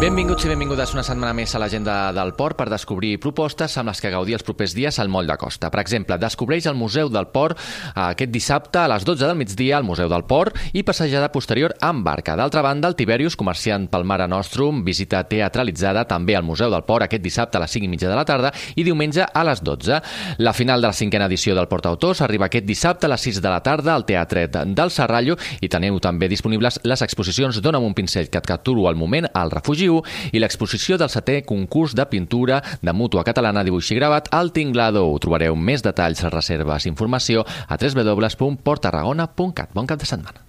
Benvinguts i benvingudes una setmana més a l'agenda del Port per descobrir propostes amb les que gaudir els propers dies al Moll de Costa. Per exemple, descobreix el Museu del Port aquest dissabte a les 12 del migdia al Museu del Port i passejada posterior amb barca. D'altra banda, el Tiberius, comerciant pel Mare Nostrum, visita teatralitzada també al Museu del Port aquest dissabte a les 5:30 de la tarda i diumenge a les 12. La final de la 5a edició del Port Autors arriba aquest dissabte a les 6 de la tarda al Teatret del Serrallo i teniu també disponibles les exposicions Dóna'm un pincell que et capturo al moment al Refugi i l'exposició del 7è concurs de pintura de Mútua Catalana Dibuix i Gravat al Tinglado. Trobareu més detalls, reserves i informació a www.porttarragona.cat. Bon cap de setmana.